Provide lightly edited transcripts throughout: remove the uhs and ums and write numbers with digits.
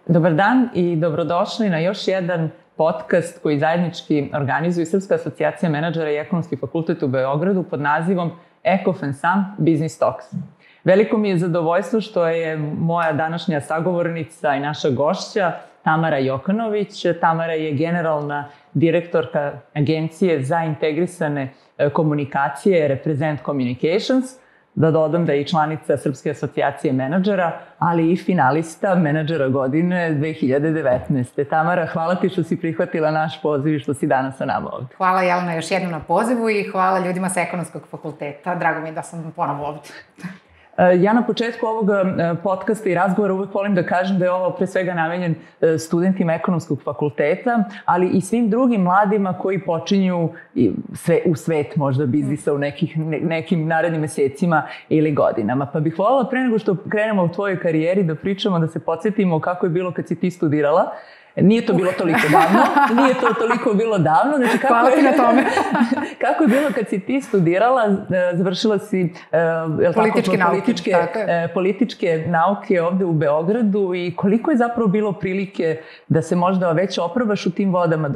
Dobar dan i dobrodošli na još jedan podcast koji zajednički organizuje Srpska asocijacija menadžera i Ekonomski fakultet u Beogradu pod nazivom ECOFENSAM Business Talks. Veliko mi je zadovoljstvo što je moja današnja sagovornica i naša gošća Tamara Jokanović. Tamara je generalna direktorka Agencije za integrisane komunikacije Represent Communications. Da dodam da je i članica Srpske asocijacije menadžera, ali i finalista menadžera godine 2019. Tamara, hvala ti što si prihvatila naš poziv i što si danas sa nama ovde. Hvala Jelena još jednom na pozivu i hvala ljudima sa Ekonomskog fakulteta. Drago mi je da sam ponovo ovde. Ja na početku ovog podcasta i razgovora uvek volim da kažem da je ovo pre svega namenjen studentima Ekonomskog fakulteta, ali i svim drugim mladima koji počinju u svet možda biznisa u nekim narednim mesecima ili godinama. Pa bih voljela pre nego što krenemo u tvojoj karijeri da pričamo, da se podsjetimo kako je bilo kad si ti studirala. Nije to bilo toliko davno. Znači, hvala ti na tome. Kako je bilo kad si ti studirala, završila si političke nauke ovde u Beogradu i koliko je zapravo bilo prilike da se možda već oprobaš u tim vodama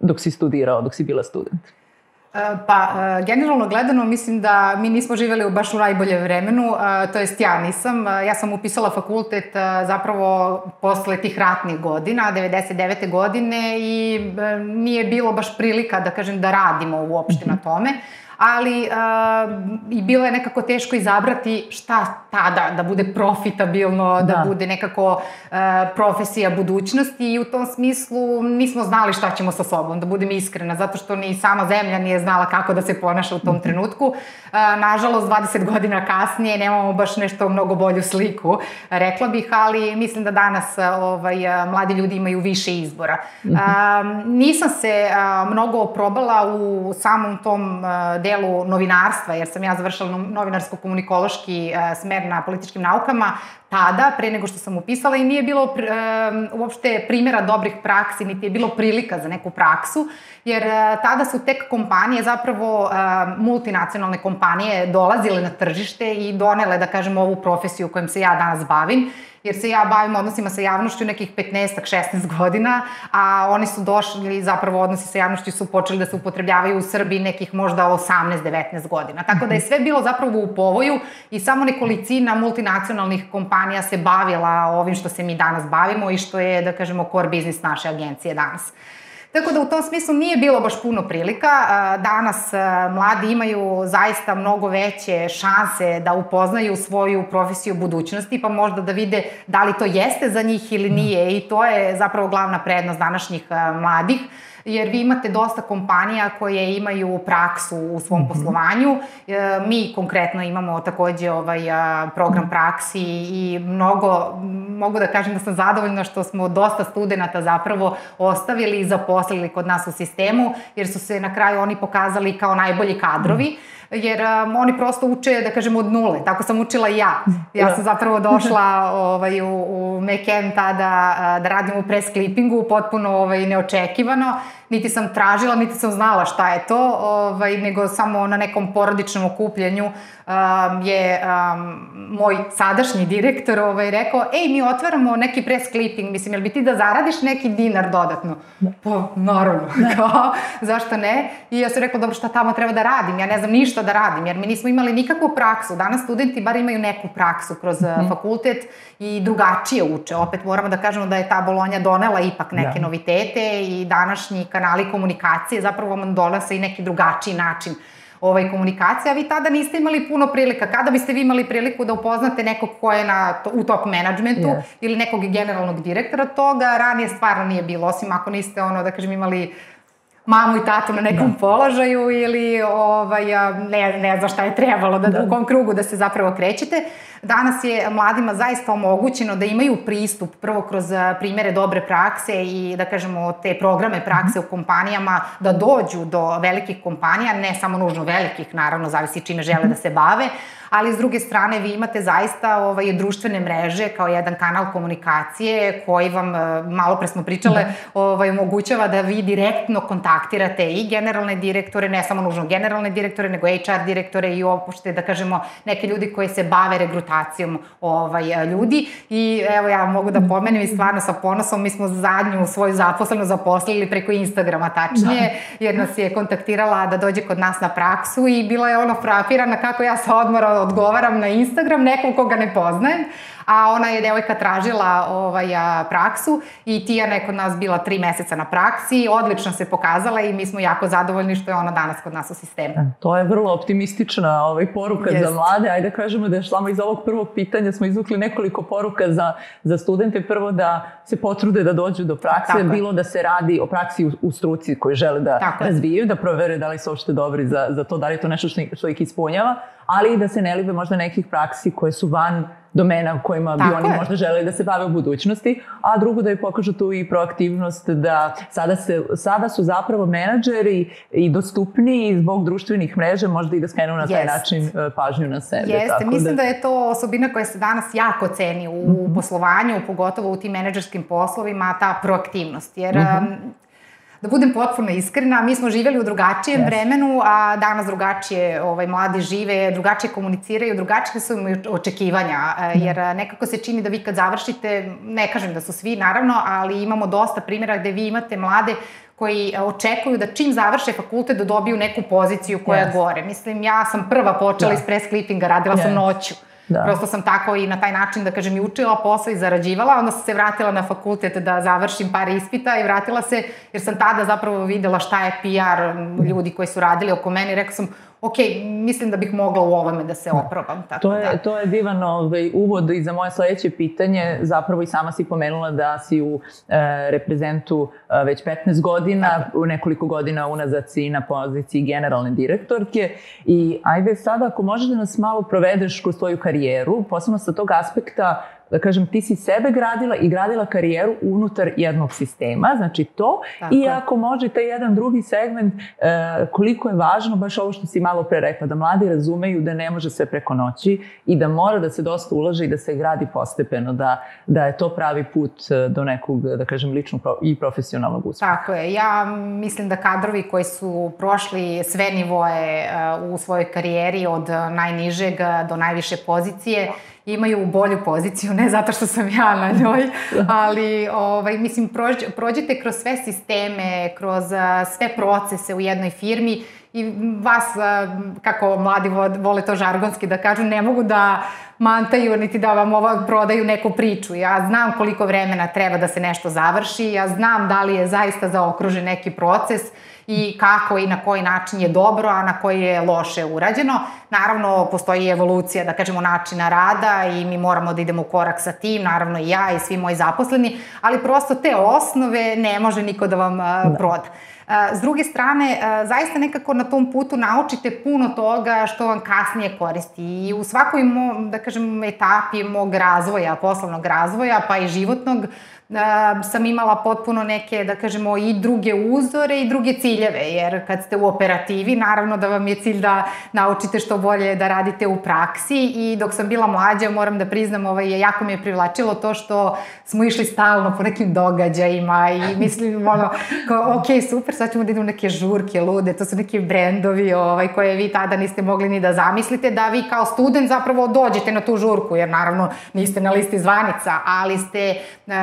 dok si studirao, dok si bila student? Pa, generalno gledano, mislim da mi nismo živjeli baš u najboljem vremenu, to jest ja nisam. Ja sam upisala fakultet zapravo posle tih ratnih godina, 99. godine i nije bilo baš prilika, da kažem, da radimo uopšte na tome. Ali i bilo je nekako teško izabrati šta tada, da bude profitabilno, da bude nekako profesija budućnosti i u tom smislu nismo znali šta ćemo sa sobom, da budem iskrena, zato što ni sama zemlja nije znala kako da se ponaša u tom trenutku. Nažalost, 20 godina kasnije nemamo baš nešto mnogo bolju sliku, rekla bih, ali mislim da danas mladi ljudi imaju više izbora. Nisam se mnogo probala u samom tom delu novinarstva, jer sam ja završila novinarsko-komunikološki smer na političkim naukama tada, pre nego što sam upisala i nije bilo uopšte primjera dobrih praksi, niti je bilo prilika za neku praksu, jer tada su tek kompanije, zapravo multinacionalne kompanije dolazile na tržište i donele, da kažem, ovu profesiju kojom se ja danas bavim, jer se ja bavim odnosima sa javnošću nekih 15-16 godina, a oni su došli, zapravo odnosi sa javnošću su počeli da se upotrebljavaju u Srbiji nekih možda 18-19 godina. Tako da je sve bilo zapravo u povoju i samo nekolicina multinacionalnih kompanija se bavila ovim što se mi danas bavimo i što je, da kažemo, core business naše agencije danas. Tako da u tom smislu nije bilo baš puno prilika. Danas mladi imaju zaista mnogo veće šanse da upoznaju svoju profesiju budućnosti, pa možda da vide da li to jeste za njih ili nije i to je zapravo glavna prednost današnjih mladih. Jer vi imate dosta kompanija koje imaju praksu u svom poslovanju. Mi konkretno imamo takođe program praksi i mogu da kažem da sam zadovoljna što smo dosta studenata zapravo ostavili i zaposlili kod nas u sistemu, jer su se na kraju oni pokazali kao najbolji kadrovi. Jer oni prosto uče, da kažem, od nule. Tako sam učila i ja. Ja sam zapravo došla u Meken tada da radim u press clippingu, potpuno neočekivano. Niti sam tražila, niti sam znala šta je to, nego samo na nekom porodičnom okupljanju je moj sadašnji direktor rekao, mi otvaramo neki press clipping, mislim, jel bi ti da zaradiš neki dinar dodatno? Pa, naravno, zašto ne? I ja sam rekla, dobro, šta tamo treba da radim? Ja ne znam ništa da radim, jer mi nismo imali nikakvu praksu. Danas studenti bar imaju neku praksu kroz fakultet i drugačije uče. Opet moramo da kažemo da je ta Bolonja donela ipak neke novitete i današnji kanali komunikacije zapravo vam donose i neki drugačiji način komunikacije, a vi tada niste imali puno prilika. Kada biste vi imali priliku da upoznate nekog ko je u top menadžmentu ili nekog generalnog direktora, toga ranije stvarno nije bilo, osim ako niste, da kažem, imali mamu i tatu na nekom položaju ili ne znam šta je trebalo, u kom krugu da se zapravo krećete. Danas je mladima zaista omogućeno da imaju pristup prvo kroz primjere dobre prakse i da kažemo te programe prakse u kompanijama, da dođu do velikih kompanija, ne samo nužno velikih, naravno, zavisi čime žele da se bave, ali s druge strane vi imate zaista društvene mreže kao jedan kanal komunikacije koji vam, malo pre smo pričale, omogućava da vi direktno kontaktirate i generalne direktore, ne samo nužno generalne direktore, nego HR direktore i uopšte, da kažemo, neke ljudi koji se bave regrutacijom ljudi. I evo, ja mogu da pomenem i stvarno sa ponosom, mi smo zadnju svoju zaposlenu zaposlili preko Instagrama, tačnije, jer nas je kontaktirala da dođe kod nas na praksu i bila je frapirana kako ja sa odmora odgovaram na Instagram nekom koga ne poznajem, a ona je devojka tražila praksu i Tijana je kod nas bila 3 meseca na praksi, odlično se pokazala i mi smo jako zadovoljni što je ona danas kod nas u sistemu. To je vrlo optimistična poruka za mlade. Ajde da kažemo da šlamo iz ovog prvog pitanja smo izvukli nekoliko poruka za studente. Prvo da se potrude da dođu do prakse, bilo da se radi o praksi u struci koju žele da razvijaju, da provere da li su uopšte dobri za to, da li je to nešto što ih ispunjava, ali i da se ne libe možda nekih praksi koje su van domena u kojima bi oni možda želeli da se bave u budućnosti, a drugo da je pokažu tu i proaktivnost da sada su zapravo menadžeri i dostupniji zbog društvenih mreža, možda i da skrenu na taj način pažnju na sebe. Jeste, mislim da je to osobina koja se danas jako ceni u poslovanju, pogotovo u tim menadžerskim poslovima, ta proaktivnost, jer da budem potpuno iskrena, mi smo živjeli u drugačijem vremenu, a danas drugačije mladi žive, drugačije komuniciraju, drugačije su im očekivanja, jer nekako se čini da vi kad završite, ne kažem da su svi naravno, ali imamo dosta primjera gde vi imate mlade koji očekuju da čim završe fakultet da dobiju neku poziciju koja je gore. Mislim, ja sam prva počela iz press clippinga, radila sam noću. Prosto sam tako i na taj način, da kažem, i učila posao i zarađivala, onda sam se vratila na fakultet da završim par ispita i vratila se, jer sam tada zapravo videla šta je PR ljudi koji su radili oko mene i rekla sam, ok, mislim da bih mogla u ovome da se oprobam. To je divan uvod i za moje sledeće pitanje. Zapravo i sama si pomenula da si u reprezentu već 15 godina, u nekoliko godina unazad si na poziciji generalne direktorke i ajde sada ako možeš da nas malo provedeš kroz tvoju karijeru, posebno sa tog aspekta, da kažem, ti si sebe gradila i gradila karijeru unutar jednog sistema, znači to, i ako može taj jedan drugi segment, koliko je važno, baš ovo što si malo pre rekla, da mladi razumeju da ne može sve preko noći i da mora da se dosta ulaže i da se gradi postepeno, da je to pravi put do nekog, da kažem, ličnog i profesionalnog uspeha. Tako je, ja mislim da kadrovi koji su prošli sve nivoe u svojoj karijeri, od najnižeg do najviše pozicije, imaju bolju poziciju, ne zato što sam ja na njoj, ali mislim, prođete kroz sve sisteme, kroz sve procese u jednoj firmi i vas, kako mladi vole to žargonski da kažu, ne mogu da mantaju niti da vam prodaju neku priču. Ja znam koliko vremena treba da se nešto završi, ja znam da li je zaista zaokružen neki proces i kako i na koji način je dobro, a na koji je loše urađeno. Naravno, postoji evolucija, da kažemo, načina rada i mi moramo da idemo u korak sa tim, naravno i ja i svi moji zaposleni, ali prosto te osnove ne može niko da vam proda. S druge strane, zaista nekako na tom putu naučite puno toga što vam kasnije koristi i u svakoj, da kažem, etapi mog razvoja, poslovnog razvoja, pa i životnog, sam imala potpuno neke, da kažemo, i druge uzore i druge ciljeve, jer kad ste u operativi, naravno da vam je cilj da naučite što bolje da radite u praksi i dok sam bila mlađa, moram da priznam, jako mi je privlačilo to što smo išli stalno po nekim događajima i mislim, ok, super, sad ćemo da idemo neke žurke lude, to su neki brendovi koje vi tada niste mogli ni da zamislite, da vi kao student zapravo dođete na tu žurku, jer naravno niste na listi zvanica, ali ste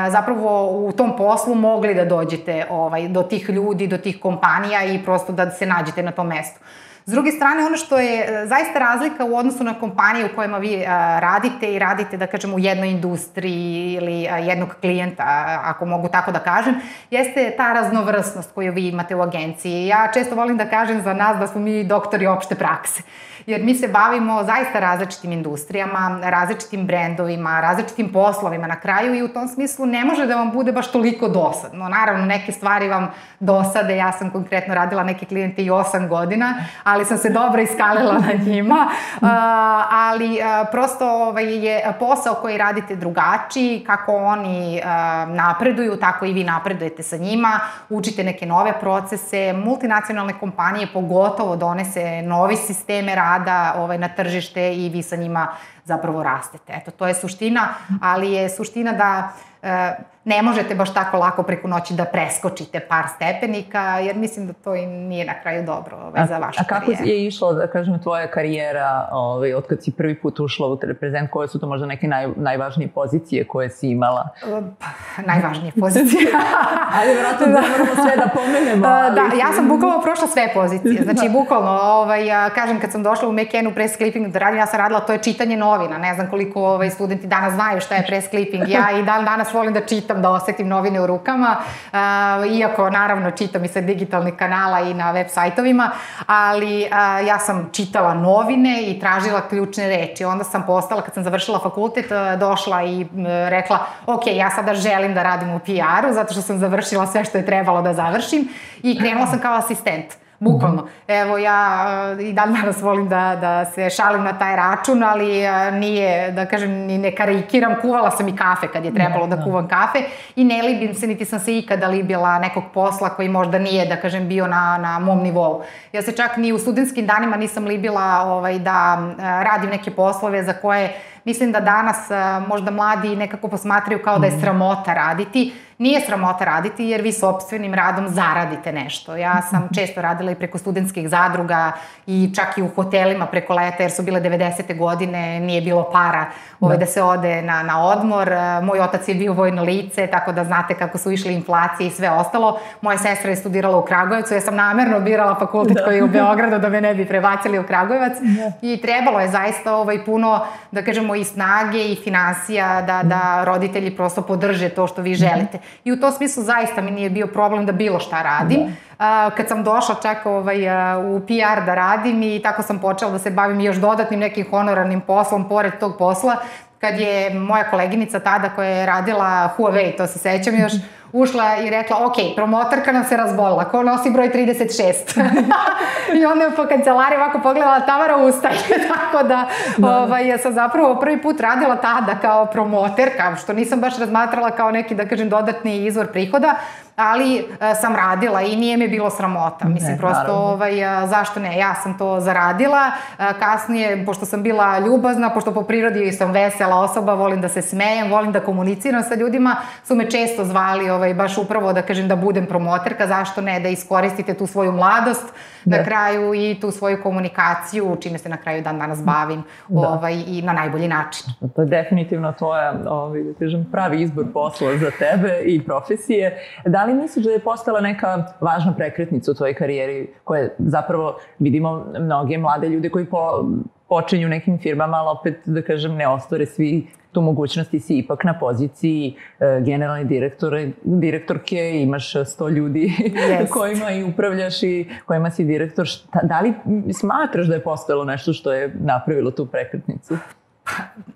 zapravo u tom poslu mogli da dođete do tih ljudi, do tih kompanija i prosto da se nađete na tom mestu. S druge strane, ono što je zaista razlika u odnosu na kompanije u kojima vi radite i radite, da kažem, u jednoj industriji ili jednog klijenta, ako mogu tako da kažem, jeste ta raznovrsnost koju vi imate u agenciji. Ja često volim da kažem za nas da smo mi doktori opšte prakse, jer mi se bavimo zaista različitim industrijama, različitim brendovima, različitim poslovima na kraju i u tom smislu ne može da vam bude baš toliko dosadno. Naravno, neke stvari vam dosade, ja sam konkretno radila neke klijente i 8 godina, ali ali sam se dobro iskalila na njima, ali prosto je posao koji radite drugačiji, kako oni napreduju, tako i vi napredujete sa njima, učite neke nove procese, multinacionalne kompanije pogotovo donese novi sisteme rada na tržište i vi sa njima zapravo rastete. Eto, to je suština, ali je suština da ne možete baš tako lako preko noći da preskočite par stepenika, jer mislim da to i nije na kraju dobro za vašu karijeru. A kako je išla, da kažem, tvoja karijera od kad si prvi put ušla u Teleprezent? Koje su to možda neke najvažnije pozicije koje si imala? Najvažnije pozicije? Ali vjerojatno da moramo sve da pomenemo. Da, ja sam bukvalno prošla sve pozicije. Znači, bukvalno, kažem, kad sam došla u McKennu press clipping da radim, ja sam radila, to je čitanje novina. Ne znam koliko studenti danas znaju šta je press clipping. Ja i danas volim da čitam, da osetim novine u rukama, iako naravno čitam i sa digitalnih kanala i na web sajtovima, ali ja sam čitala novine i tražila ključne reči. Onda sam postala, kad sam završila fakultet, došla i rekla, ok, ja sada želim da radim u PR-u, zato što sam završila sve što je trebalo da završim i krenula sam kao asistent. Bukvalno. Evo, ja i danas volim da se šalim na taj račun, ali nije, da kažem, ni ne karikiram. Kuvala sam i kafe kad je trebalo da kuvam kafe i ne libim se, niti sam se ikada libila nekog posla koji možda nije, da kažem, bio na mom nivou. Ja se čak ni u studentskim danima nisam libila da radim neke poslove za koje mislim da danas možda mladi nekako posmatraju kao da je sramota raditi. Nije sramota raditi jer vi sopstvenim radom zaradite nešto. Ja sam često radila i preko studentskih zadruga i čak i u hotelima preko leta jer su bile 90. godine, nije bilo para da se ode na odmor. Moj otac je bio vojno lice, tako da znate kako su išli inflacije i sve ostalo. Moja sestra je studirala u Kragujevcu, ja sam namerno birala fakultet koji je u Beogradu da me ne bi prebacili u Kragujevac i trebalo je zaista puno, da kažemo, i snage i finansija da roditelji prosto podrže to što vi želite. I u tom smislu zaista mi nije bio problem da bilo šta radim. Kad sam došla čak u PR da radim i tako sam počela da se bavim još dodatnim nekim honorarnim poslom pored tog posla, kad je moja koleginica tada koja je radila Huawei, to se sećam još, ušla i rekla, ok, promotorka nam se razbolila, ko nosi broj 36? I onda je po kancelariji ovako pogledala, Tamara, ustaje. Tako da sam zapravo prvi put radila tada kao promoterka, što nisam baš razmatrala kao neki, da kažem, dodatni izvor prihoda, ali sam radila i nije mi bilo sramota. Mislim, prosto, zašto ne, ja sam to zaradila. Kasnije, pošto sam bila ljubazna, pošto po prirodi sam vesela osoba, volim da se smejem, volim da komuniciram sa ljudima, su me često zvali baš upravo da kažem da budem promoterka, zašto ne, da iskoristite tu svoju mladost na kraju i tu svoju komunikaciju, čime se na kraju dan danas bavim i na najbolji način. To je definitivno tvoja, da kažem, pravi izbor posla za tebe i profesije. Da li misliš da je postala neka važna prekretnica u tvojoj karijeri koje zapravo vidimo mnoge mlade ljude koji počinju nekim firmama, ali opet, da kažem, ne ostvare svi tu mogućnost i si ipak na poziciji generalne direktorke, imaš 100 ljudi kojima i upravljaš i kojima si direktor. Da li smatraš da je postojalo nešto što je napravilo tu prekretnicu?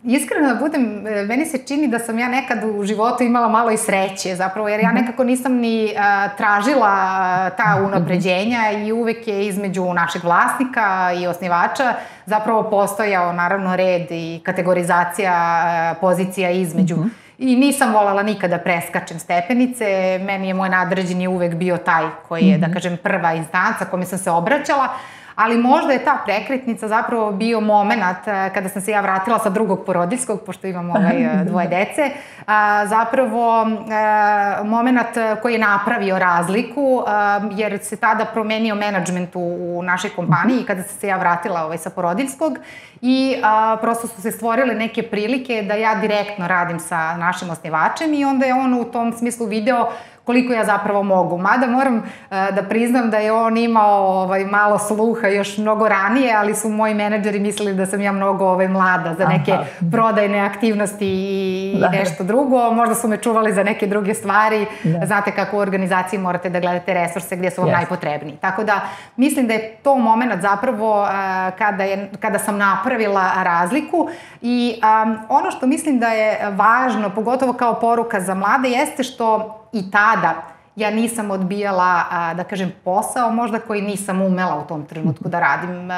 Iskreno da budem, meni se čini da sam ja nekad u životu imala malo i sreće zapravo, jer ja nekako nisam ni tražila ta unapređenja i uvek je između našeg vlasnika i osnivača zapravo postojao naravno red i kategorizacija pozicija između. I nisam voljela nikada preskačem stepenice, meni je moj nadređeni uvek bio taj koji je, da kažem, prva instanca kome sam se obraćala, ali možda je ta prekretnica zapravo bio moment kada sam se ja vratila sa drugog porodiljskog, pošto imam dvoje dece, zapravo moment koji je napravio razliku, jer se tada promenio menadžment u našoj kompaniji kada sam se ja vratila sa porodiljskog i prosto su se stvorile neke prilike da ja direktno radim sa našim osnivačem i onda je on u tom smislu video koliko ja zapravo mogu. Mada moram da priznam da je on imao malo sluha još mnogo ranije, ali su moji menadžeri mislili da sam ja mnogo mlada za neke prodajne aktivnosti i nešto drugo. Možda su me čuvali za neke druge stvari. Znate kako u organizaciji morate da gledate resurse gdje su vam najpotrebniji. Tako da mislim da je to moment zapravo kada sam napravila razliku i ono što mislim da je važno, pogotovo kao poruka za mlade, jeste što i tada ja nisam odbijala, da kažem, posao možda koji nisam umela u tom trenutku da radim.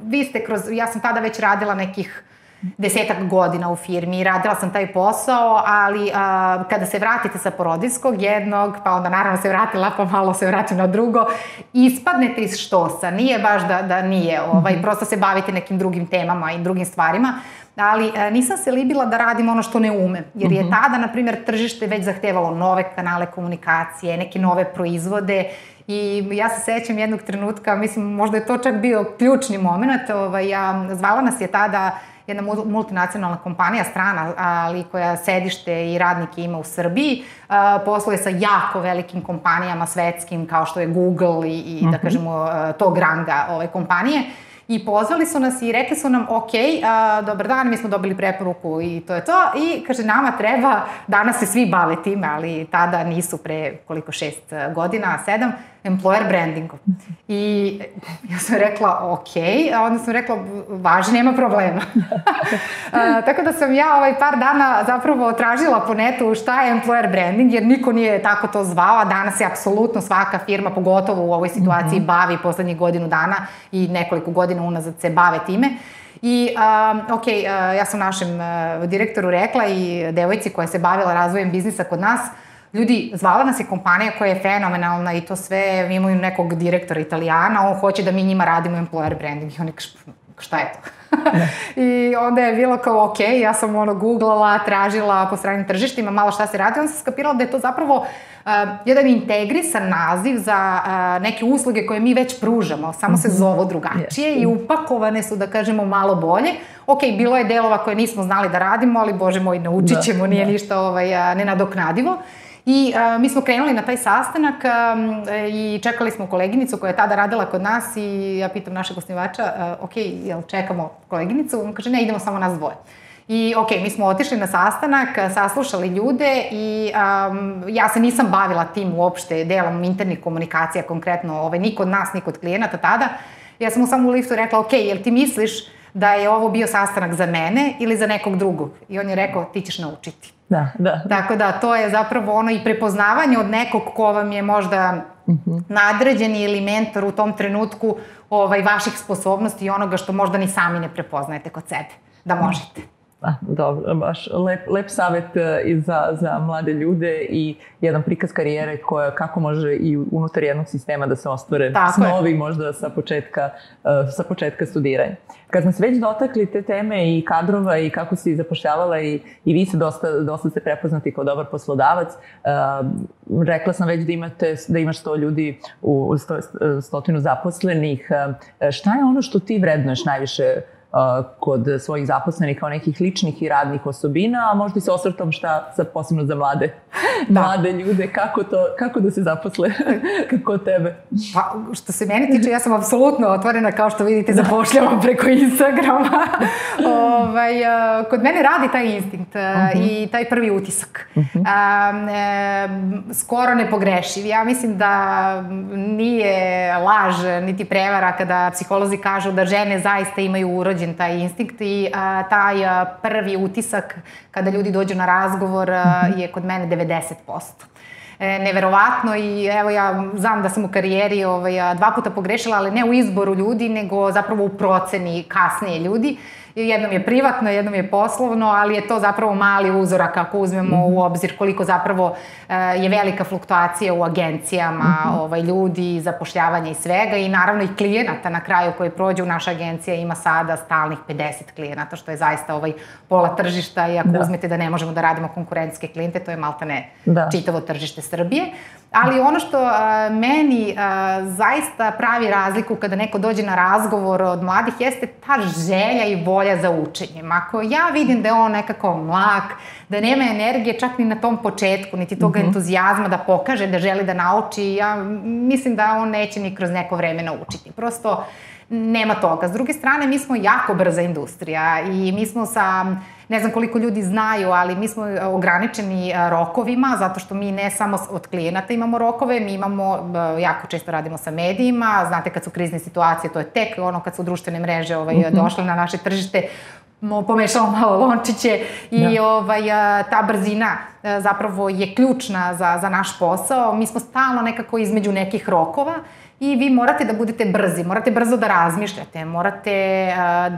Vi ste ja sam tada već radila nekih 10 godina u firmi i radila sam taj posao, ali kada se vratite sa porodiljskog jednog, pa onda naravno se vratila, pa malo se vratim na drugo, ispadnete iz štosa. Nije baš da nije, prosto se bavite nekim drugim temama i drugim stvarima, ali nisam se libila da radim ono što ne umem, jer je tada, na primjer, tržište već zahtevalo nove kanale komunikacije, neke nove proizvode i ja se sećam jednog trenutka, mislim, možda je to čak bio ključni moment, zvala nas je tada jedna multinacionalna kompanija, strana, ali koja sedište i radnike ima u Srbiji, posluje sa jako velikim kompanijama svetskim kao što je Google i da kažemo tog ranga kompanije. I pozvali su nas i rekli su nam, ok, dobar dan, mi smo dobili preporuku i to je to. I kaže, nama treba, danas se svi bave time, ali tada nisu pre koliko 6 godina, 7, employer brandingom. I ja sam rekla, ok, a onda sam rekla, važi, nema problema. Tako da sam ja par dana zapravo tražila po netu šta je employer branding, jer niko nije tako to zvao, a danas je apsolutno svaka firma, pogotovo u ovoj situaciji, bavi poslednjih godinu dana i nekoliko godina unazad se bave time. I, ja sam našem direktoru rekla i devojci koja se bavila razvojem biznisa kod nas, ljudi, zvala nas je kompanija koja je fenomenalna i to sve, mi imaju nekog direktora Italijana, on hoće da mi njima radimo employer branding. I oni kaže, šta je to? I onda je bilo kao, ok, ja sam googlala, tražila po stranim tržištima malo šta se radi, onda sam skapirala da je to zapravo jedan integrisan naziv za neke usluge koje mi već pružamo, samo se zovu drugačije i upakovane su, da kažemo, malo bolje. Ok, bilo je delova koje nismo znali da radimo, ali bože moj, naučit ćemo, nije ništa nenadoknadivo. I mi smo krenuli na taj sastanak i čekali smo koleginicu koja je tada radila kod nas i ja pitam našeg osnivača, ok, jel čekamo koleginicu? On kaže, ne, idemo samo nas dvoje. I ok, mi smo otišli na sastanak, saslušali ljude i ja se nisam bavila tim uopšte delom internih komunikacija, konkretno ni kod nas, ni kod klijenata tada. Ja sam mu samo u liftu rekla, ok, jel ti misliš da je ovo bio sastanak za mene ili za nekog drugog? I on je rekao, ti ćeš naučiti. Da. Tako da, to je zapravo i prepoznavanje od nekog ko vam je možda nadređeni ili mentor u tom trenutku vaših sposobnosti i onoga što možda ni sami ne prepoznajete kod sebe, da možete. Dobro, baš lep savjet i za mlade ljude i jedan prikaz karijere kako može i unutar jednog sistema da se ostvare snovi možda sa početka studiranja. Kad smo se već dotakli te teme i kadrova i kako si zapošljavala i vi se dosta ste prepoznati kao dobar poslodavac, rekla sam već da imaš 100 ljudi u 100 zaposlenih. Šta je ono što ti vrednuješ najviše kod svojih zaposlenih kao nekih ličnih i radnih osobina, a možda i sa osvrtom šta sad posebno za mlade ljude, kako da se zaposle kod tebe? Pa, što se mene tiče, ja sam apsolutno otvorena, kao što vidite, zapošljavam preko Instagrama. Kod mene radi taj instinkt i taj prvi utisak. Skoro nepogrešiv. Ja mislim da nije laž niti prevara kada psiholozi kažu da žene zaista imaju urođen taj instinkt i taj prvi utisak kada ljudi dođu na razgovor je kod mene 90%. Neverovatno i evo ja znam da sam u karijeri 2 puta pogrešila, ali ne u izboru ljudi, nego zapravo u proceni kasnije ljudi. Jednom je privatno, jednom je poslovno, ali je to zapravo mali uzorak ako uzmemo u obzir koliko zapravo je velika fluktuacija u agencijama, ljudi, zapošljavanja i svega i naravno i klijenata na kraju koji prođu. Naša agencija ima sada stalnih 50 klijenata, što je zaista pola tržišta i ako uzmete da ne možemo da radimo konkurentske klijente, to je maltene čitavo tržište Srbije. Ali ono što meni zaista pravi razliku kada neko dođe na razgovor od mladih jeste ta želja i volja za učenjem. Ako ja vidim da je on nekako mlak, da nema energije čak ni na tom početku, niti toga entuzijazma da pokaže da želi da nauči, ja mislim da on neće ni kroz neko vreme naučiti. Prosto nema toga. S druge strane, mi smo jako brza industrija i mi smo sa ne znam koliko ljudi znaju, ali mi smo ograničeni rokovima, zato što mi ne samo od klijenata imamo rokove, mi imamo, jako često radimo sa medijima, znate kad su krizne situacije, to je tek kad su društvene mreže došle na naše tržište, pomešalo malo lončiće i ta brzina zapravo je ključna za naš posao. Mi smo stalno nekako između nekih rokova i vi morate da budete brzi, morate brzo da razmišljate, morate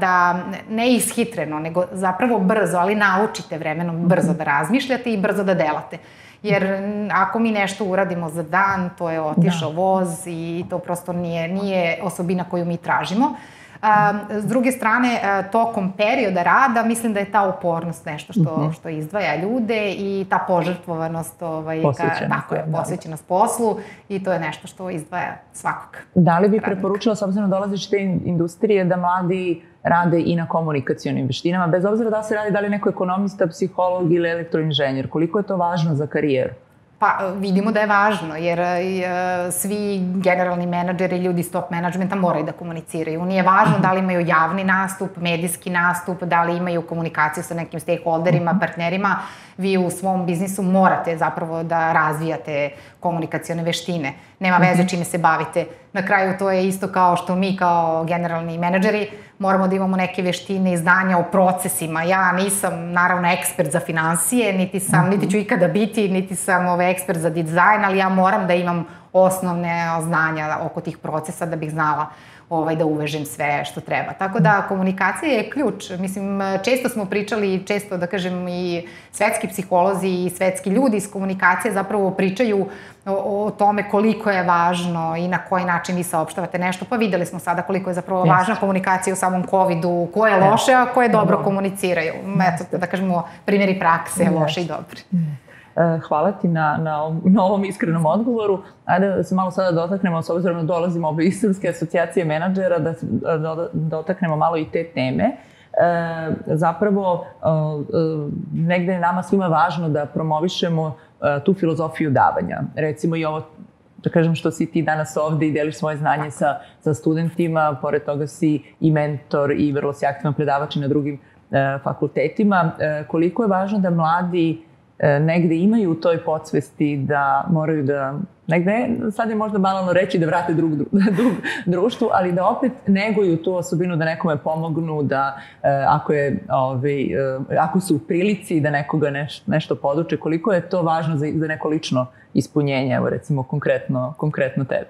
da, ne ishitreno, nego zapravo brzo, ali naučite vremenom brzo da razmišljate i brzo da delate. Jer ako mi nešto uradimo za dan, to je otišao voz i to prosto nije osobina koju mi tražimo. S druge strane, tokom perioda rada, mislim da je ta upornost nešto što izdvaja ljude i ta požrtvovanost, posvećenost poslu i to je nešto što izdvaja svakog. Da li bi preporučila, s obzirom da dolaziš te industrije, da mladi rade i na komunikacionim veštinama, bez obzira da se radi da li neko ekonomista, psiholog ili elektroinženjer, koliko je to važno za karijeru? Pa vidimo da je važno, jer svi generalni menadžeri, ljudi iz top menadžmenta moraju da komuniciraju. Nije važno da li imaju javni nastup, medijski nastup, da li imaju komunikaciju sa nekim stakeholderima, partnerima. Vi u svom biznisu morate zapravo da razvijate komunikacione veštine. Nema veze čime se bavite. Na kraju to je isto kao što mi kao generalni menadžeri moramo da imamo neke veštine i znanja o procesima. Ja nisam naravno ekspert za finansije, niti ću ikada biti, niti sam ekspert za dizajn, ali ja moram da imam osnovne znanja oko tih procesa da bih znala da uvežem sve što treba. Tako da komunikacija je ključ. Mislim, često smo pričali, često da kažem i svetski psiholozi i svetski ljudi iz komunikacije zapravo pričaju o tome koliko je važno i na koji način vi saopštavate nešto. Pa videli smo sada koliko je zapravo važna komunikacija u samom COVID-u, ko je loše, a ko je dobro komuniciraju. Eto, da kažemo, primjeri prakse, loše i dobri. Hvala ti na ovom iskrenom odgovoru. Ajde da se malo sada dotaknemo, s obzirom da dolazimo iz Srpske asocijacije menadžera, da dotaknemo malo i te teme. Zapravo, negde je nama svima važno da promovišemo tu filozofiju davanja. Recimo i ovo, da kažem, što si ti danas ovde i deliš svoje znanje sa studentima, pored toga si i mentor i vrlo si aktivan predavač na drugim fakultetima. Koliko je važno da mladi negde imaju u toj podsvesti da moraju da, negde, sad je možda banalno reći da vrate dug društvu, ali da opet neguju tu osobinu da nekome pomognu, da ako su u prilici da nekoga nešto poduče, koliko je to važno za neko lično ispunjenje, evo recimo konkretno tebe?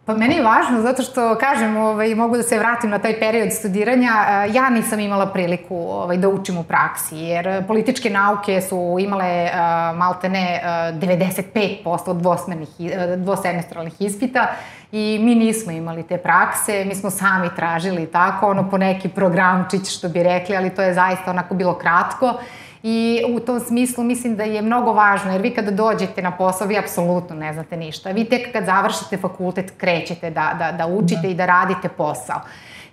Pa meni je važno zato što, kažem, mogu da se vratim na taj period studiranja. Ja nisam imala priliku da učim u praksi, jer političke nauke su imale maltene 95% dvosemestralnih ispita i mi nismo imali te prakse, mi smo sami tražili tako, po neki programčić što bi rekli, ali to je zaista onako bilo kratko. I u tom smislu mislim da je mnogo važno, jer vi kada dođete na posao, vi apsolutno ne znate ništa. Vi tek kad završite fakultet krećete da učite i da radite posao.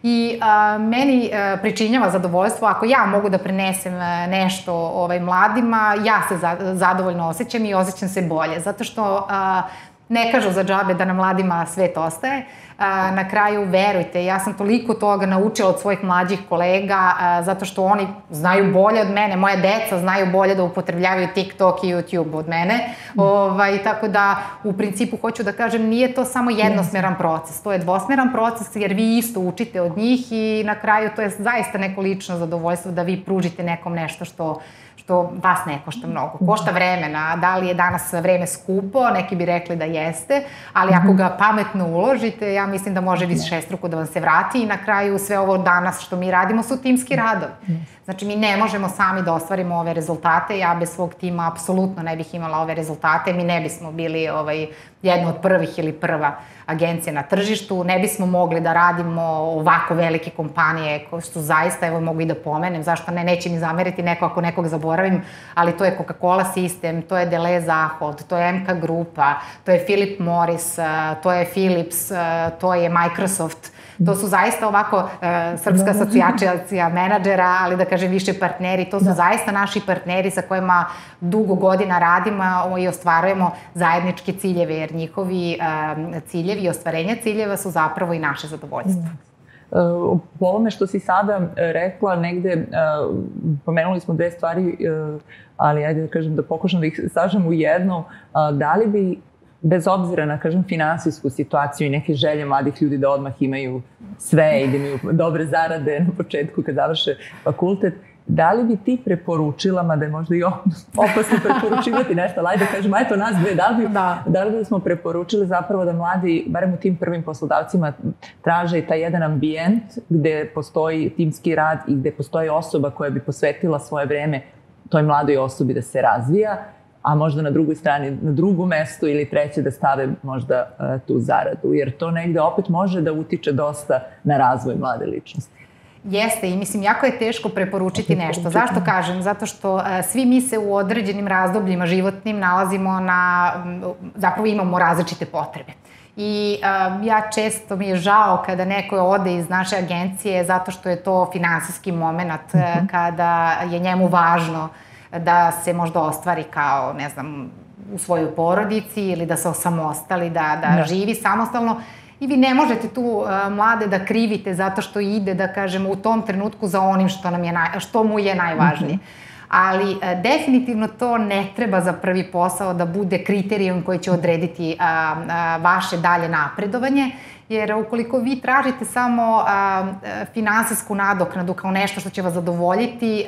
I meni pričinjava zadovoljstvo ako ja mogu da prenesem nešto mladima, ja se zadovoljno osjećam i osjećam se bolje. Zato što ne kažu za džabe da na mladima svet ostaje. Na kraju, verujte, ja sam toliko toga naučila od svojih mlađih kolega, zato što oni znaju bolje od mene, moja deca znaju bolje da upotrebljavaju TikTok i YouTube od mene. Tako da, u principu, hoću da kažem, nije to samo jednosmeran proces, to je dvosmeran proces, jer vi isto učite od njih i na kraju to je zaista neko lično zadovoljstvo da vi pružite nekom nešto što vas ne košta mnogo. Košta vremena, da li je danas vreme skupo, neki bi rekli da jeste, ali ako ga pametno uložite, ja mislim da može višestruko da vam se vrati i na kraju sve ovo danas što mi radimo su timski radovi. Znači, mi ne možemo sami da ostvarimo ove rezultate, ja bez svog tima apsolutno ne bih imala ove rezultate, mi ne bismo bili jedna od prvih ili prva agencija na tržištu, ne bismo mogli da radimo ovako velike kompanije koje su zaista, evo mogu i da pomenem, zašto ne, neće mi zameriti neko ako nekog zaboravim, ali to je Coca-Cola System, to je Deleuze Zahod, to je MK Grupa, to je Philip Morris, to je Philips, to je Microsoft. To su zaista ovako Srpska asocijacija menadžera, ali da kažem više partneri, to su zaista naši partneri sa kojima dugo godina radimo i ostvarujemo zajedničke ciljeve, jer njihovi ciljevi i ostvarenja ciljeva su zapravo i naše zadovoljstvo. Po ovome što si sada rekla, negde pomenuli smo dve stvari, ali ajde da kažem da pokušam da ih sažem u jedno. Da li bi, bez obzira na, kažem, finansijsku situaciju i neke želje mladih ljudi da odmah imaju sve i da imaju dobre zarade na početku kad završe fakultet, da li bi ti preporučila, mada je možda i opasno preporučivati nešto, ali ajde kažemo, eto nas dve, da li bi smo preporučili zapravo da mladi, barem u tim prvim poslodavcima, traže taj jedan ambijent gde postoji timski rad i gde postoji osoba koja bi posvetila svoje vreme toj mladoj osobi da se razvija, a možda na drugoj strani, na drugo mesto ili treće da stave možda tu zaradu, jer to negde opet može da utiče dosta na razvoj mlade ličnosti. Jeste i mislim jako je teško preporučiti nešto. Zašto kažem? Zato što svi mi se u određenim razdobljima životnim nalazimo zapravo imamo različite potrebe. I ja često mi je žao kada neko ode iz naše agencije zato što je to finansijski moment kada je njemu važno da se možda ostvari kao, ne znam, u svojoj porodici ili da se osamostali, da živi samostalno. I vi ne možete tu mlade da krivite zato što ide, da kažem, u tom trenutku za onim što mu je najvažnije. Ali definitivno to ne treba za prvi posao da bude kriterijum koji će odrediti vaše dalje napredovanje, jer ukoliko vi tražite samo finansijsku nadoknadu kao nešto što će vas zadovoljiti,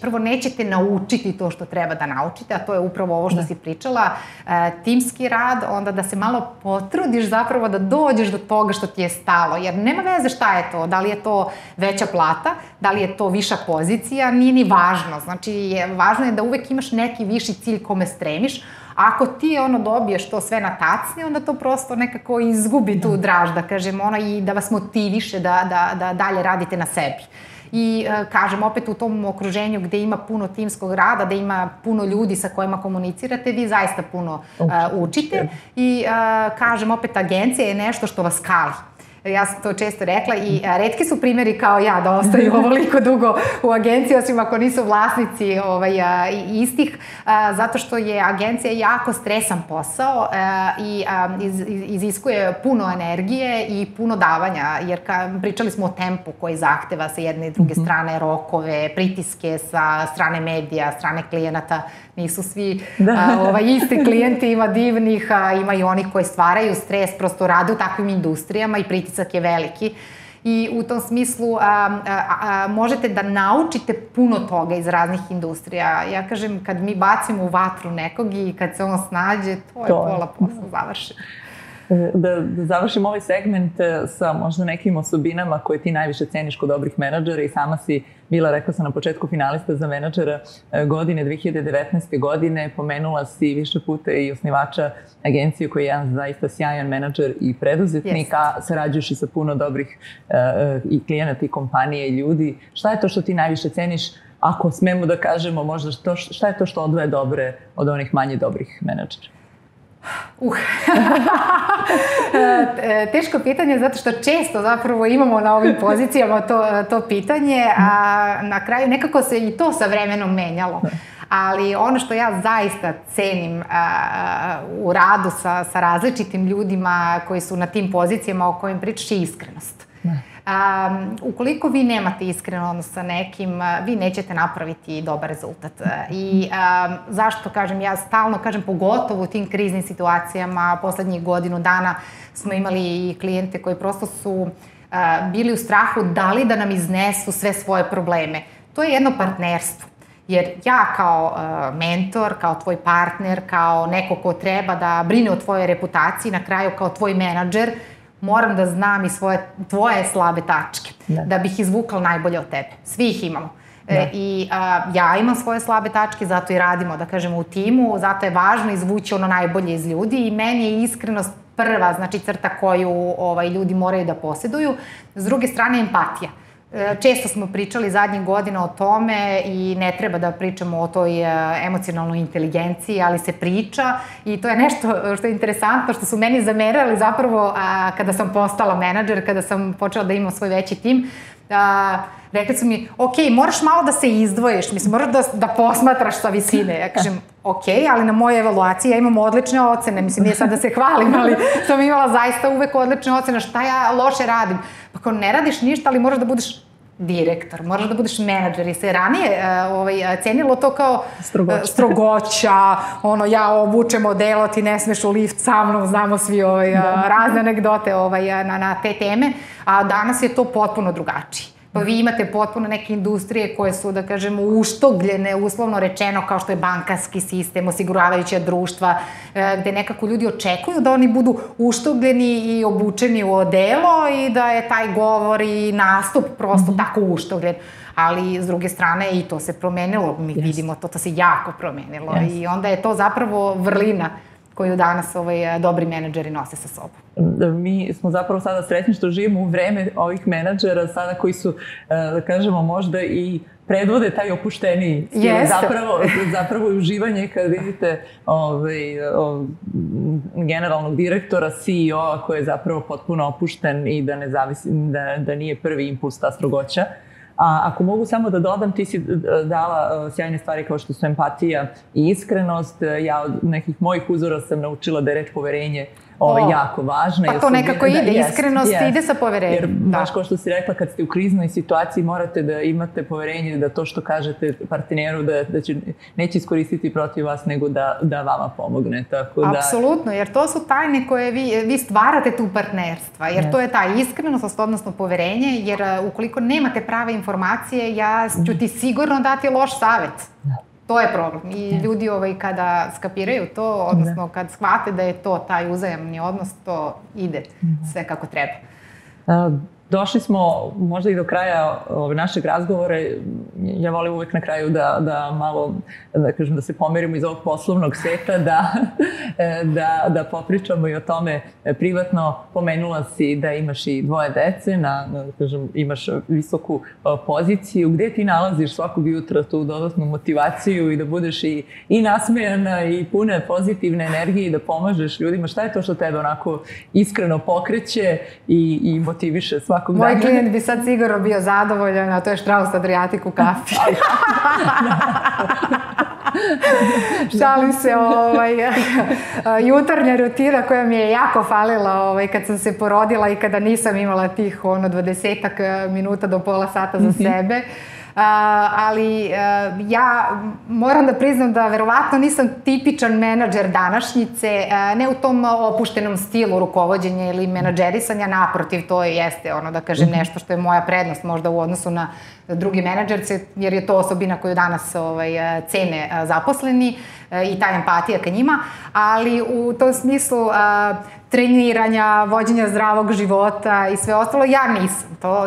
prvo nećete naučiti to što treba da naučite, a to je upravo ovo što si pričala, timski rad, onda da se malo potrudiš zapravo da dođeš do toga što ti je stalo, jer nema veze šta je to, da li je to veća plata, da li je to viša pozicija, nije ni važno, znači važno je da uvek imaš neki viši cilj kome stremiš. Ako ti dobiješ to sve na tacni, onda to prosto nekako izgubi tu draž, da kažem, i da vas motiviše da dalje radite na sebi. I kažem, opet u tom okruženju gde ima puno timskog rada, da ima puno ljudi sa kojima komunicirate, vi zaista puno učite. I kažem, opet agencija je nešto što vas kali. Ja sam to često rekla i retki su primjeri kao ja da ostaju ovoliko dugo u agenciji, osim ako nisu vlasnici istih, zato što je agencija jako stresan posao i iziskuje puno energije i puno davanja, jer pričali smo o tempu koji zahteva sa jedne i druge strane, rokove, pritiske sa strane medija, strane klijenata. Nisu svi isti klijenti, ima divnih, ima i onih koji stvaraju stres, prosto rade u takvim industrijama i pritisak je veliki. I u tom smislu možete da naučite puno toga iz raznih industrija. Ja kažem, kad mi bacimo u vatru nekog i kad se on snađe, to je pola posla završeno. Da završim ovaj segment sa možda nekim osobinama koje ti najviše ceniš kod dobrih menadžera i sama si bila, rekla sam na početku, finalista za menadžera godine 2019. godine. Pomenula si više puta i osnivača agencije koji je jedan zaista sjajan menadžer i preduzetnik, a sarađuješ i sa puno dobrih i klijenata i kompanije i ljudi. Šta je to što ti najviše ceniš, ako smemo da kažemo možda šta je to što odvaja dobre od onih manje dobrih menadžera? Teško pitanje, zato što često zapravo imamo na ovim pozicijama to pitanje, a na kraju nekako se i to sa vremenom menjalo. Ali ono što ja zaista cenim u radu sa različitim ljudima koji su na tim pozicijama o kojim pričaš je iskrenost. Ukoliko vi nemate iskren odnos sa nekim, vi nećete napraviti dobar rezultat. I zašto kažem, ja stalno kažem, pogotovo u tim kriznim situacijama, poslednjih godinu dana smo imali i klijente koji prosto su bili u strahu da li da nam iznesu sve svoje probleme. To je jedno partnerstvo. Jer ja kao mentor, kao tvoj partner, kao neko ko treba da brine o tvojoj reputaciji, na kraju kao tvoj menadžer, moram da znam i tvoje slabe tačke, da bih izvukla najbolje od tebe. Svi ih imamo. I ja imam svoje slabe tačke, zato i radimo, da kažemo, u timu, zato je važno izvući ono najbolje iz ljudi i meni je iskrenost prva, znači crta koju ljudi moraju da posjeduju. S druge strane, empatija. Često smo pričali zadnjih godina o tome i ne treba da pričamo o toj emocionalnoj inteligenciji, ali se priča i to je nešto što je interesantno, što su meni zamerali zapravo kada sam postala menadžer, kada sam počela da imam svoj veći tim, rekli su mi, ok, moraš malo da se izdvojiš, mislim, moraš da posmatraš sa visine. Ja kažem, ok, ali na moje evaluacije ja imam odlične ocene, mislim, nije sad da se hvalim, ali sam imala zaista uvek odlične ocene, šta ja loše radim? Pa kao, ne radiš ništa, ali moraš da budeš direktor, moraš da budeš menadžer i se ranije cenilo to kao strogoća, ja obučem odelo, ti ne smeš u lift sa mnom, znamo svi razne anegdote na te teme, a danas je to potpuno drugačije. Pa vi imate potpuno neke industrije koje su, da kažemo, uštogljene, uslovno rečeno, kao što je bankarski sistem, osiguravajuća društva, gde nekako ljudi očekuju da oni budu uštogljeni i obučeni u odelo i da je taj govor i nastup prosto tako uštogljen. Ali, s druge strane, i to se promenilo, mi vidimo, to se jako promenilo i onda je to zapravo vrlina koju danas dobri menadžeri nose sa sobom. Mi smo zapravo sada srećni što živimo u vreme ovih menadžera sada koji su, da kažemo, možda i predvode taj opušteniji stil. Zapravo uživanje kad vidite generalnog direktora, CEO-a koji je zapravo potpuno opušten i da ne zavisi, da nije prvi impuls ta strogoća. A ako mogu samo da dodam, ti si dala sjajne stvari kao što su empatija i iskrenost. Ja od nekih mojih uzora sam naučila da je reč poverenje jako važna. Pa to nekako ide, iskrenost ide sa poverenjem. Jer baš kao što si rekla, kad ste u kriznoj situaciji morate da imate poverenje da to što kažete partneru da neće iskoristiti protiv vas, nego da vama pomogne. Apsolutno, jer to su tajne koje vi stvarate tu partnerstva, jer to je ta iskrenost, odnosno poverenje, jer ukoliko nemate prave informacije, ja ću ti sigurno dati loš savjet. To je problem i ljudi kada skapiraju to, odnosno kad shvate da je to taj uzajamni odnos, to ide sve kako treba. Došli smo možda i do kraja našeg razgovora. Ja volim uvek na kraju da malo, da kažem, da se pomerimo iz ovog poslovnog sveta, da popričamo i o tome privatno. Pomenula si da imaš i 2 dece, imaš visoku poziciju. Gde ti nalaziš svakog jutra tu dodatnu motivaciju i da budeš i nasmejana i puna pozitivne energije i da pomažeš ljudima? Šta je to što tebe onako iskreno pokreće i motiviše svakog dana? Moj klijent bi sad sigurno bio zadovoljan, a to je Strauss Adriatic u kafi. Šalim se, jutarnja rutina koja mi je jako falila kad sam se porodila i kada nisam imala tih 20 minuta do pola sata za sebe. Ali ja moram da priznam da verovatno nisam tipičan menadžer današnjice, ne u tom opuštenom stilu rukovođenja ili menadžerisanja, naprotiv, to jeste da kažem nešto što je moja prednost možda u odnosu na drugi menadžerce, jer je to osobina koju danas cene zaposleni i ta empatija ka njima, ali u tom smislu treniranja, vođenja zdravog života i sve ostalo,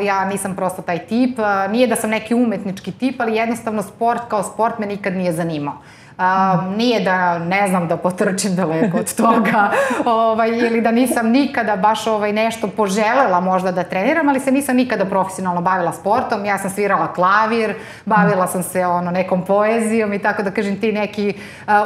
ja nisam prosto taj tip. Nije da sam neki umetnički tip, ali jednostavno sport kao sport me nikad nije zanimao. Nije da ne znam da potrčim daleko od toga ili da nisam nikada baš nešto poželela možda da treniram, ali se nisam nikada profesionalno bavila sportom. Ja sam svirala klavir, bavila sam se nekom poezijom i tako da kažem ti neki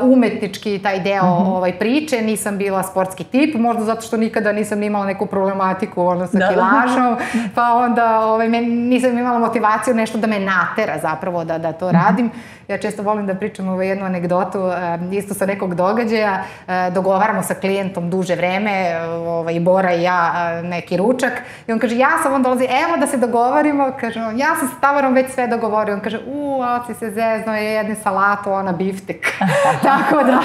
umetnički taj deo priče. Nisam bila sportski tip, možda zato što nikada nisam imala neku problematiku sa kilažom, pa onda nisam imala motivaciju nešto da me natera zapravo da to radim. Ja često volim da pričam jednu anegdotu, isto sa nekog događaja, dogovaramo sa klijentom duže vreme, Bora i ja, neki ručak, i on kaže, on dolazi, evo da se dogovorimo, kaže, ja sam s Tamarom već sve dogovorio, on kaže, oci se zezno, je jedne salatu, ona biftek. Tako da,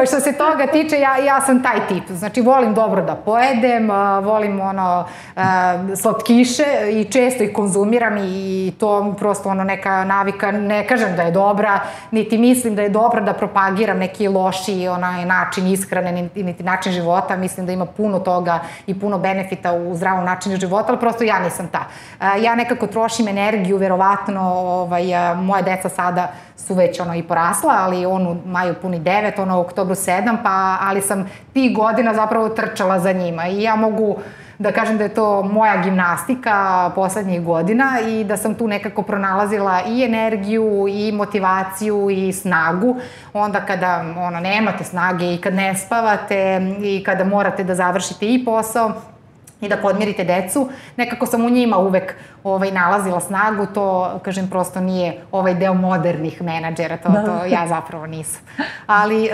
što se toga tiče, ja sam taj tip, znači volim dobro da pojedem, volim slatkiše i često ih konzumiram i to prosto neka navika, ne kažem da je dobra, niti mislim da je dobro da propagiram neki loši način ishrane, niti način života. Mislim da ima puno toga i puno benefita u zdravom načinu života, ali prosto ja nisam ta. Ja nekako trošim energiju, verovatno, moje deca sada su već i porasla, ali u maju puni 9, u oktobru 7, ali sam tih godina zapravo trčala za njima i ja mogu da kažem da je to moja gimnastika poslednjih godina i da sam tu nekako pronalazila i energiju i motivaciju i snagu. Onda kada nemate snage i kad ne spavate i kada morate da završite i posao i da podmirite decu. Nekako sam u njima uvek nalazila snagu, to, kažem, prosto nije ovaj deo modernih menadžera, to ja zapravo nisam. Ali,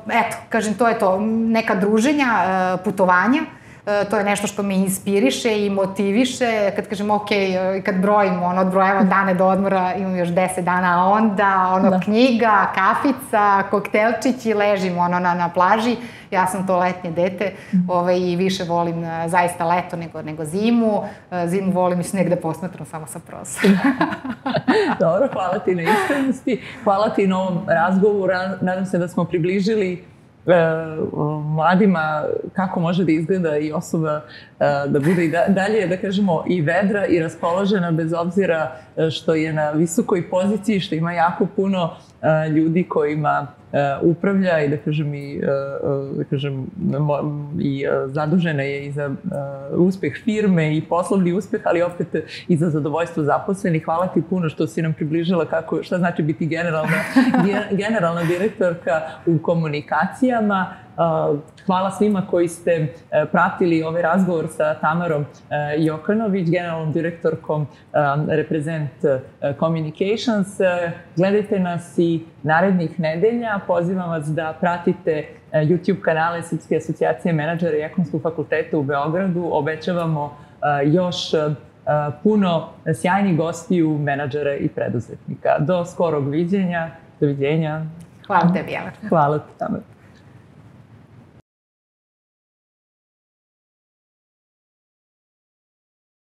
eto, kažem, to je to, neka druženja, putovanja, to je nešto što me inspiriše i motiviše, kad kažem, ok, kad brojim, odbrojavamo dane do odmora, imam još 10 dana, a onda, knjiga, kafica, koktelčići, ležim, na plaži. Ja sam to letnje dete i više volim zaista leto nego zimu. Zimu volim i sneg da posmatram samo sa prozora. Dobro, hvala ti na iskrenosti, hvala ti na ovom razgovoru, nadam se da smo približili mladima kako može da izgleda i osoba da bude i dalje, da kažemo, i vedra i raspoložena bez obzira što je na visokoj poziciji, što ima jako puno ljudi kojima upravlja i i zadužena je i za uspeh firme i poslovni uspeh, ali opet i za zadovoljstvo zaposlenih. Hvala ti puno što si nam približila šta znači biti generalna direktorka u komunikacijama. Hvala svima koji ste pratili ovaj razgovor sa Tamarom Jokanović, generalnom direktorkom Represent Communications. Gledajte nas i narednih nedelja. Pozivam vas da pratite YouTube kanale Srpske asocijacije menadžera i Ekonomskog fakulteta u Beogradu. Obećavamo još puno sjajnih gostiju, menadžera i preduzetnika. Do skorog viđenja. Doviđenja. Hvala tebi, Jelena. Hvala ti, Tamara.